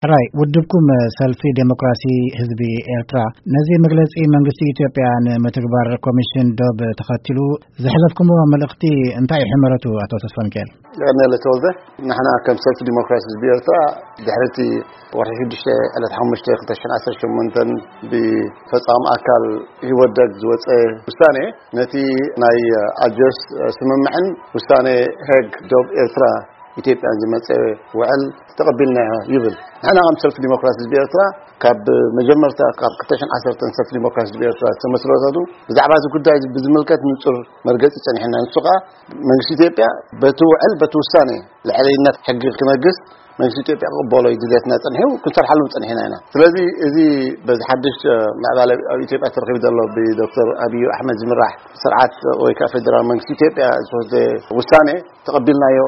ሕራይ፣ ውድብኩም ሰልፊ ዴሞክራሲ ህዝቢ ኤርትራ ነዚ መግለጺ መንግስቲ ኢትዮጵያ ንምትግባር ኮሚሽን ዶብ ተኸቲሉ ዘሕለፍኩምዎ መልእኽቲ እንታይ እዩ ሕመረቱ? ኣቶ ተስፋ ሚካኤል። ቀነለ ተወልደ። ንሕና ከም ሰልፊ ዲሞክራሲ ህዝቢ ኤርትራ ድሕሪ እቲ ወርሒ ሽዱሽተ ዕለት ሓሙሽተ ክልተ ሽሕን ዓሰርተ ሸሞንተን ብፈጻሚ ኣካል ህወደግ ዝወጸ ውሳኔ፣ ነቲ ናይ ኣልጀርስ ስምምዕን ውሳኔ ሄግ ዶብ ኤርትራ ኢትዮጵያን ዝመጸ ውዕል ተቐቢልናዮ ይብል። ንሕና ከም ሰልፊ ዲሞክራሲ ህዝቢ ኤርትራ ካብ መጀመርታ ካብ ክልተ ሽሕን ዓሰርተን ሰልፊ ዲሞክራሲ ህዝቢ ኤርትራ ዝተመስረተቱ ብዛዕባ እዚ ጉዳይ ብዝምልከት ንጹር መርገጺ ጸኒሕና። ንሱ ከኣ መንግስቲ ኢትዮጵያ በቲ ውዕል በቲ ውሳኔ ልዕለይነት ሕጊ ክነግስ መንግስቲ ኢትዮጵያ ክቕበሎ እዩ ድሌትና ጸኒሑ፣ ክንሰርሓሉ ጸኒሕና ኢና። ስለዚ እዚ በዚ ሓድሽ ምዕባለ ኣብ ኢትዮጵያ ተረኺቡ ዘሎ ብዶክተር ኣብዩ ኣሕመድ ዝምራሕ ስርዓት ወይ ከዓ ፌደራል መንግስቲ ኢትዮጵያ ዝተወስደ ውሳኔ ተቐቢልናዮ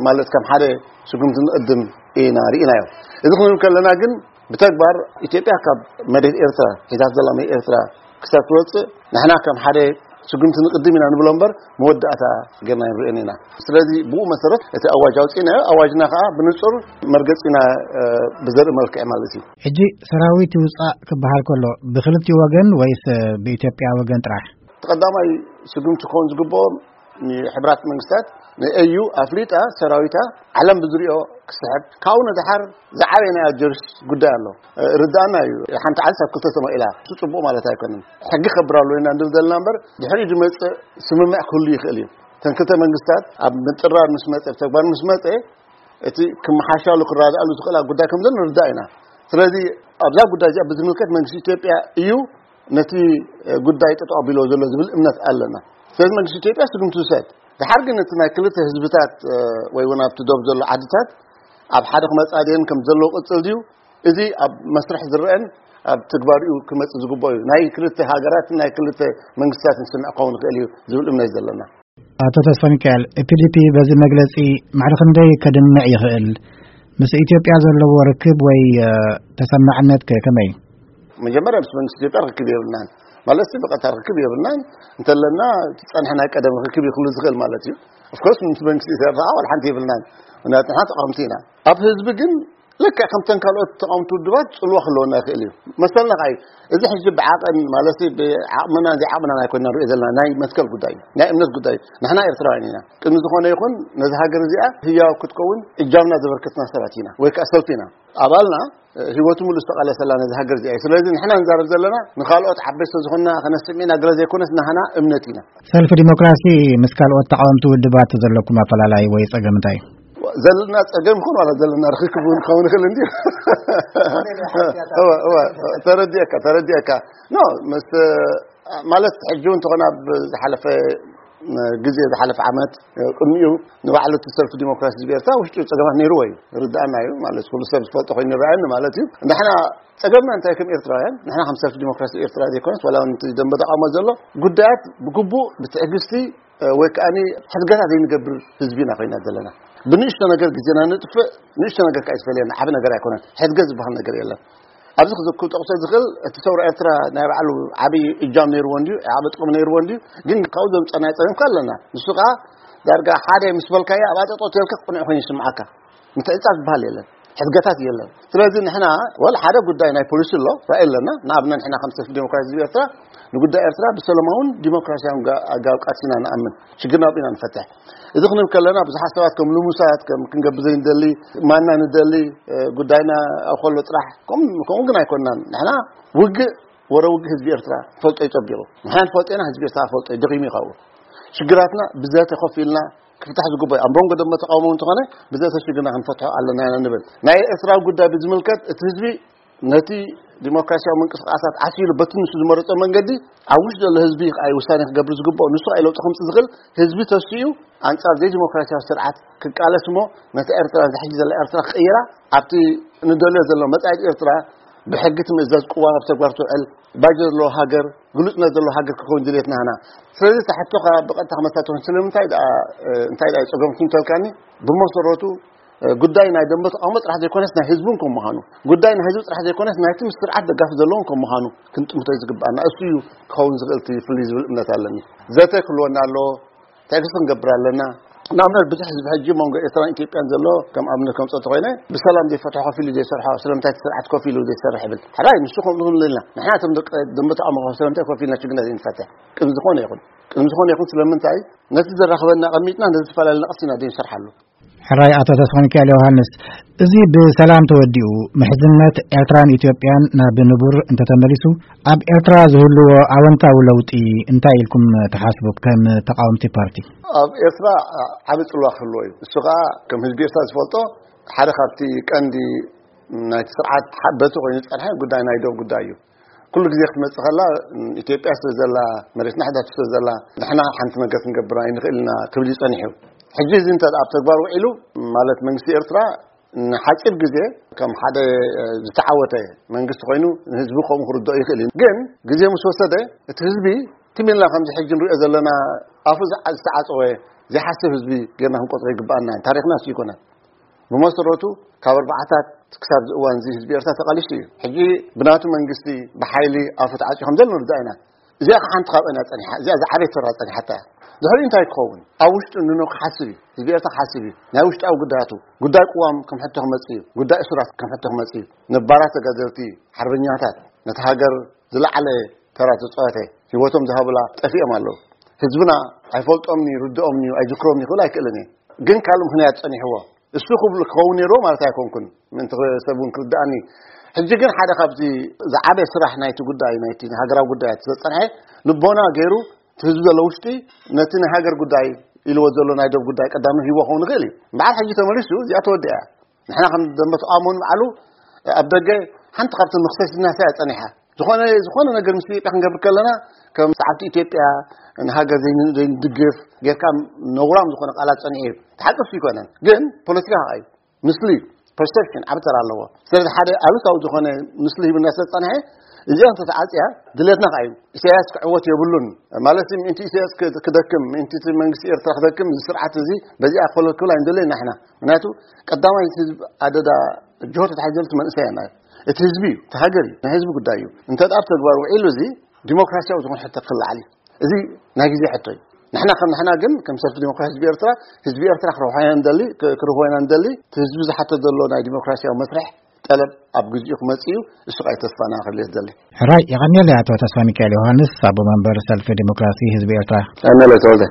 ማለት ከም ሓደ ስጉምቲ ንቕድም ኢና ርኢናዮ። እዚ ክንብል ከለና ግን ብተግባር ኢትዮጵያ ካብ መሬት ኤርትራ ሒዛት ዘላ መሬት ኤርትራ ክሳብ ትወፅእ ንሕና ከም ሓደ ስጉምቲ ንቕድም ኢና ንብሎ እምበር መወዳእታ ጌርና ኣይንርእዮን ኢና። ስለዚ ብኡ መሰረት እቲ ኣዋጅ ኣውፂእናዮ። ኣዋጅና ከዓ ብንፁር መርገፂና ብዘርኢ መልክዕ ማለት እዩ። ሕጂ ሰራዊት ይውፃእ ክበሃል ከሎ ብክልቲኡ ወገን ወይስ ብኢትዮጵያ ወገን ጥራሕ? እቲ ቀዳማይ ስጉምቲ ክኸውን ዝግብኦ ንሕብራት መንግስታት ንኤዩ ኣፍሊጣ ሰራዊታ ዓለም ብዝሪኦ ክስሕብ ካብኡ ንድሓር ዝዓበየ ናይ ኣጀርስ ጉዳይ ኣሎ። ርዳእና እዩ። ሓንቲ ዓዲ ኣብ ክልተ ተመቂላ እሱ ፅቡቅ ማለት ኣይኮነን። ሕጊ ከብር ኣሎ ኢና እንድል ዘለና እምበር ድሕሪ ዝመፅእ ስምምዕ ክህሉ ይኽእል እዩ። እተን ክልተ መንግስታት ኣብ ምጥራር ምስ መፀ ኣብ ተግባር ምስ መፀ እቲ ክመሓሻሉ ክረዳኣሉ ዝኽእላ ጉዳይ ከም ዘሎ ንርዳእ ኢና። ስለዚ ኣብዛ ጉዳይ እዚኣ ብዝምልከት መንግስቲ ኢትዮጵያ እዩ ነቲ ጉዳይ ጠጠው ኣቢሎ ዘሎ ዝብል እምነት ኣለና። ስለዚ መንግስቲ ኢትዮጵያ ስጉምቲ ይውሰድ። ድሓር ግን እቲ ናይ ክልተ ህዝብታት ወይ እውን ኣብቲ ዶብ ዘሎ ዓድታት ኣብ ሓደ ክመፃ ድየን ከም ዘለዎ ቅፅል ድዩ? እዚ ኣብ መስርሕ ዝረአን ኣብ ትግባሪኡ ክመፅእ ዝግብኦ እዩ። ናይ ክልተ ሃገራትን ናይ ክልተ መንግስታትን ስምዕ ክኸውን ይኽእል እዩ ዝብል እምነት እዩ ዘለና። ኣቶ ተስፋ ሚካኤል፣ ፒዲፒ በዚ መግለጺ ማዕረ ክንደይ ከድምዕ ይኽእል? ምስ ኢትዮጵያ ዘለዎ ርክብ ወይ ተሰማዕነት ከ ከመይ? መጀመርያ ምስ መንግስቲ ኢትዮጵያ ርክብ የብልናን። ማለት ብቐጥታ ርክብ የብልናን። እንተለና እቲ ጸንሐ ናይ ቀደም ርክብ ይኽሉ ዝኽእል ማለት እዩ። ኦፍኮርስ ምስ መንግስቲ ኢትዮጵያ ዋላ ሓንቲ የብልናን። ምክንያቱ ንሕና ተቃወምቲ ኢና። ኣብ ህዝቢ ግን ልክዕ ከምተን ካልኦት ተቃወምቲ ውድባት ጽልዋ ክህልወና ይኽእል እዩ። መሰልና ከኣ እዩ። እዚ ሕጂ ብዓቐን ማለት ብዓቕምና ዘይዓቕምና ኣይኮንና ንሪኦ ዘለና ናይ መትከል ጉዳይ እዩ። ናይ እምነት ጉዳይ እዩ። ንሕና ኤርትራውያን ኢና። ቅድሚ ዝኾነ ይኹን ነዚ ሃገር እዚኣ ህያው ክትከውን እጃምና ዘበርከትና ሰባት ኢና ወይ ከኣ ሰልፊ ኢና። ኣባልና ህይወቱ ሙሉ ዝተቓለሰላ ነዚ ሃገር እዚኣ እዩ። ስለዚ ንሕና ንዛረብ ዘለና ንኻልኦት ዓበይቲ ዝኾንና ከነስምዕ ኢና ገለ ዘይኮነስ ናህና እምነት ኢና። ሰልፊ ዲሞክራሲ ምስ ካልኦት ተቃወምቲ ውድባት ዘለኩም ኣፈላላይ ወይ ጸገም እንታይ እዩ? ዘለና ጸገም ይኹን ዋላ ዘለና ርክክብ እውን ክኸውን ይኽእል እንድዩ። እወ፣ እወ፣ ተረዲኤካ፣ ተረዲኤካ። ኖ፣ ምስ፣ ማለት ሕጂ እውን እንተኾነ ኣብ ዝሓለፈ ግዜ፣ ዝሓለፈ ዓመት ቅድሚኡ ንባዕሉ እቲ ሰልፊ ዲሞክራሲ ህዝቢ ኤርትራ ውሽጡ ጸገማት ነይርዎ እዩ። ርዳእና እዩ። ማለት ኩሉ ሰብ ዝፈልጦ ኮይኑ ይረኣየኒ ማለት እዩ። ንሕና ጸገምና እንታይ ከም ኤርትራውያን፣ ንሕና ከም ሰልፊ ዲሞክራሲ ኤርትራ ዘይኮነስ ዋላ እውን እቲ ደንበ ተቃውሞ ዘሎ ጉዳያት ብግቡእ ብትዕግስቲ ወይ ከኣ ሕድገታት ዘይንገብር ህዝቢ ኢና ኮይና ዘለና። ብንእሽቶ ነገር ግዜና ንጥፍእ፣ ንእሽቶ ነገር ከኣ ይዝፈልየና፣ ዓቢ ነገር ኣይኮነን። ሕድገት ዝበሃል ነገር የለን። ኣብዚ ክዝክር ጠቕሶ ዝኽእል እቲ ሰውራ ኤርትራ ናይ ባዕሉ ዓቢ እጃም ነይርዎ እንድዩ፣ ዓቢ ጥቕሚ ነይርዎ እንድዩ፣ ግን ካብኡ ዘምጸናዮ ጸገም ከ ኣለና። ንሱ ከኣ ዳርጋ ሓደ ምስ በልካዮ ኣብ ኣጠጦ ተልካ ቅኑዕ ኮይኑ ይስምዓካ። ምትዕጻፍ ዝበሃል የለን። ሕድገታት የለን። ስለዚ ንሕና ወላ ሓደ ጉዳይ ናይ ፖሊሲ ኣሎ፣ ራእይ ኣለና። ንኣብነት ንሕና ከም ሰልፊ ዴሞክራሲ ህዝቢ ኤርትራ ንጉዳይ ኤርትራ ብሰላማውን ዲሞክራሲያውን ጋ-፣ ኣገባብ ቃልሲ ኢና ንኣምን። ሽግርና ኣብኡ ኢና ንፈትሕ። እዚ ክንብል ከለና ብዙሓት ሰባት ከም ልሙሳት፣ ከም ክንገብር ዘይንደሊ፣ ማና ንደሊ፣ እ፣ ጉዳይና ኣብ ከሎ ጥራሕ፣ ከም-፣ ከምኡ ግን ኣይኮንናን። ንሕና ውግእ፣ ወረ ውግእ ህዝቢ ኤርትራ ፈልጦ እዩ ጸቢቑ። ንሕና ንፈልጦ ኢና፣ ህዝቢ ኤርትራ ፈልጦ እዩ፣ ደኺሙ እዩ ካብኡ። ሽግራትና ብዘተ ኮፍ ኢልና ክፍታሕ ዝግበኦ እዩ። ኣብ መንጎ ደንበ ተቃውሞ እንተኾነ ብዘተ ሽግርና ክንፈትሖ ኣለና ኢና ንብል። ናይ ኤርትራዊ ጉዳይ ብዝምልከት እቲ ህዝቢ ነቲ ዲሞክራሲያዊ ምንቅስቃሳት ዓሲሉ በቲ ንሱ ዝመረጾ መንገዲ ኣብ ውሽጢ ዘሎ ህዝቢ ከኣ እዩ ውሳኔ ክገብር ዝግብኦ። ንሱ ከኣ እዩ ለውጢ ከምጽእ ዝኽእል። ህዝቢ ተሲኡ ኣንጻር ዘይዲሞክራሲያዊ ስርዓት ክቃለስ እሞ ነቲ ኤርትራ፣ እዚ ሕጂ ዘላ ኤርትራ ክቕይራ ኣብቲ ንደልዮ ዘሎ መጻኢት ኤርትራ ብሕጊ ትምእዘዝ፣ ቅዋም ኣብ ተግባር ትውዕል፣ ባጀት ዘለዎ ሃገር፣ ግሉጽነት ዘለዎ ሃገር ክኸውን ድልየትና ኢና። ስለዚ እታ ሕቶኻ ብቐጥታ ክመልሳ ትኾን ስለምንታይ ደኣ፣ እ፣ እንታይ ደኣ እዩ ጸገምኩም እንተልካኒ፣ ብመሰረቱ፣ እ፣ ጉዳይ ናይ ደንበ ተቃውሞ ጥራሕ ዘይኮነስ ናይ ህዝቢ እውን ከም ምዃኑ፣ ጉዳይ ናይ ህዝቢ ጥራሕ ዘይኮነስ ናይቲ ምስ ስርዓት ደጋፊ ዘለውን ከም ምዃኑ ክንጥምቶ እዩ ዝግብኣና። እሱ እዩ ክኸውን ዝኽእል እቲ ፍልይ ዝብል እምነት ኣለኒ። ዘተ ክህልወና ኣለዎ። ትዕግስቲ ክንገብር ኣለና። ንኣብነት ብዙሕ ህዝቢ ሕጂ መንጎ ኤርትራን ኢትዮጵያን ዘሎ ከም ኣብነት ከምፀ ተኮይነ ብሰላም ዘይፈትሖ ከፊሉ ዘይሰርሖ ስለምንታይ እቲ ስርዓት ከፊሉ ዘይሰርሕ ይብል። ሕራይ ንሱ ከምኡ ንብል ኢና ንሕና እቶም ደቂ ደንበ ተቃውሞ ስለምንታይ ከፊልና ችግርና ዘይንፈትሕ ቅድሚ ዝኾነ ይኹን ቅድሚ ዝኾነ ይኹን ስለምንታይ ነቲ ዘራኽበና ቀሚጥና ነዚ ዝተፈላለዩ ነቕሲ ኢና ዘይንሰርሓሉ። ሕራይ ኣቶ ተስፋሚካኤል ዮሃንስ፣ እዚ ብሰላም ተወዲኡ ምሕዝነት ኤርትራን ኢትዮጵያን ናብ ንቡር እንተተመሊሱ ኣብ ኤርትራ ዝህልዎ ኣወንታዊ ለውጢ እንታይ ኢልኩም ትሓስቡ ከም ተቃወምቲ ፓርቲ? ኣብ ኤርትራ ዓቢ ጽልዋ ክህልዎ እዩ። እሱ ከኣ ከም ህዝቢ ኤርትራ ዝፈልጦ ሓደ ካብቲ ቀንዲ ናይቲ ስርዓት ሓበቲ ኮይኑ ዝጸንሐ ጉዳይ ናይ ዶብ ጉዳይ እዩ። ኩሉ ግዜ ክትመጽእ ከላ ኢትዮጵያ ስለ ዘላ መሬትና ሕዳቱ ስለ ዘላ ንሕና ሓንቲ ነገር ክንገብር ኣይንኽእል ኢና ክብል እዩ ጸኒሑ። ሕጂ እዚ እንተ ኣብ ተግባር ውዒሉ ማለት መንግስቲ ኤርትራ ንሓጺር ግዜ ከም ሓደ ዝተዓወተ መንግስቲ ኮይኑ ንህዝቢ ከምኡ ክርድኦ ይኽእል እዩ። ግን ግዜ ምስ ወሰደ እቲ ህዝቢ ትም ኢልና ከምዚ ሕጂ ንሪኦ ዘለና ኣፉ ዝዓ- ዝተዓጸወ ዘይሓስብ ህዝቢ ጌርና ክንቆጽሮ ይግብኣና። ታሪኽና እሱ ይኮነ። ብመሰረቱ ካብ ኣርባዓታት ክሳብ እዚ እዋን እዚ ህዝቢ ኤርትራ ተቓሊሱ እዩ። ሕጂ ብናቱ መንግስቲ ብሓይሊ ኣፉ ተዓጽዩ ከም ዘሎ ንርዳእ ኢና። እዚኣ ሓንቲ ካብአን እያ ጸኒሓ። እዚኣ ዝዓበየት ተራ ጸኒሓታ እያ። ድሕሪኡ እንታይ ክኸውን? ኣብ ውሽጡ ንኖ ክሓስብ እዩ። ህዝቢ ኤርትራ ክሓስብ እዩ። ናይ ውሽጣዊ ጉዳያቱ፣ ጉዳይ ቅዋም ከም ሕቶ ክመጽእ እዩ። ጉዳይ እሱራት ከም ሕቶ ክመጽእ እዩ። ነባራት ተጋደልቲ፣ ሓርበኛታት፣ ነቲ ሃገር ዝለዓለ ተራ ተጻወተ፣ ህይወቶም ዝሃቡላ ጠፊኦም ኣለዉ። ህዝብና ኣይፈልጦምን እዩ፣ ይርድኦምን እዩ፣ ኣይዝክሮምን ይኽእል ኣይክእልን እየ። ግን ካልእ ምኽንያት ጸኒሕዎ። እሱ ክብሉ ክኸውን ነይርዎ ማለት ኣይኮንኩን። ምእንቲ ሰብ እውን ክርድኣኒ። ሕጂ ግን ሓደ ካብዚ ዝዓበየ ስራሕ ናይቲ ጉዳይ፣ ናይቲ ሃገራዊ ጉዳያት ዘጸንሐ ልቦና ገይሩ እቲ ህዝቢ ዘሎ ውሽጢ ነቲ ናይ ሃገር ጉዳይ ኢልዎ ዘሎ ናይ ዶብ ጉዳይ ቀዳሚ ሂቦ ክኸውን ይኽእል እዩ። እምበኣር ሕጂ ተመሊሱ እዚኣ ተወዲኣ እያ። ንሕና ከም ደንበ ተቃውሞ ንባዕሉ ኣብ ደገ ሓንቲ ካብተን መኽሰሲትና እያ ጸኒሓ። ዝኾነ ዝኾነ ነገር ምስ ኢትዮጵያ ክንገብር ከለና ከም ሰዓብቲ ኢትዮጵያ ንሃገር ዘይን- ዘይንድግፍ ጌርካ ነውራም ዝኾነ ቃላት ጸኒሑ እዩ። ተሓቅፍ ይኮነን ግን ፖለቲካ ከኣ እዩ። ምስሊ ፐርሰፕሽን ዓቢ ተራ ኣለዎ። ስለዚ ሓደ ኣሉታዊ ዝኾነ ምስሊ ሂብና ስለ ዝጸንሐ እዚኣ እንተተዓጽያ ድሌትና ከኣ እዩ። ኢሳያስ ክዕወት የብሉን ማለት ምእንቲ ኢሳያስ ክደ- ክደክም ምእንቲ እቲ መንግስቲ ኤርትራ ክደክም እዚ ስርዓት እዚ በዚኣ ኮለክብል ኣይንደለየና ንሕና። ምክንያቱ ቀዳማይ ህዝብ ኣደዳ ጅሆ ተታሒዘሉ እቲ መንእሰይ ኣና እቲ ህዝቢ እዩ እቲ ሃገር እዩ ናይ ህዝቢ ጉዳይ እዩ። እንተ ኣብ ተግባር ውዒሉ እዚ ዲሞክራሲያዊ ዝኾነ ሕቶ ክልዓል እዩ። እዚ ናይ ግዜ ሕቶ እዩ። ንሕና ከም ንሕና ግን ከም ሰልፊ ዲሞክራሲ ህዝቢ ኤርትራ ህዝቢ ኤርትራ ክረብሖ ኢና ንደሊ ክ- ክረብሖ ኢና ንደሊ እቲ ህዝቢ ዝሓቶ ዘሎ ናይ ዲሞክራሲያዊ መስርሕ ጠለብ ኣብ ግዜኡ ክመጽእ እዩ። እሱ ቃይ ተስፋና ክልየ ዝደሊ። ሕራይ የቐንየለይ ኣቶ ተስፋ ሚካኤል ዮሃንስ ኣቦ መንበር ሰልፊ ዲሞክራሲ ህዝቢ ኤርትራ። ኣመለ ተወልደ።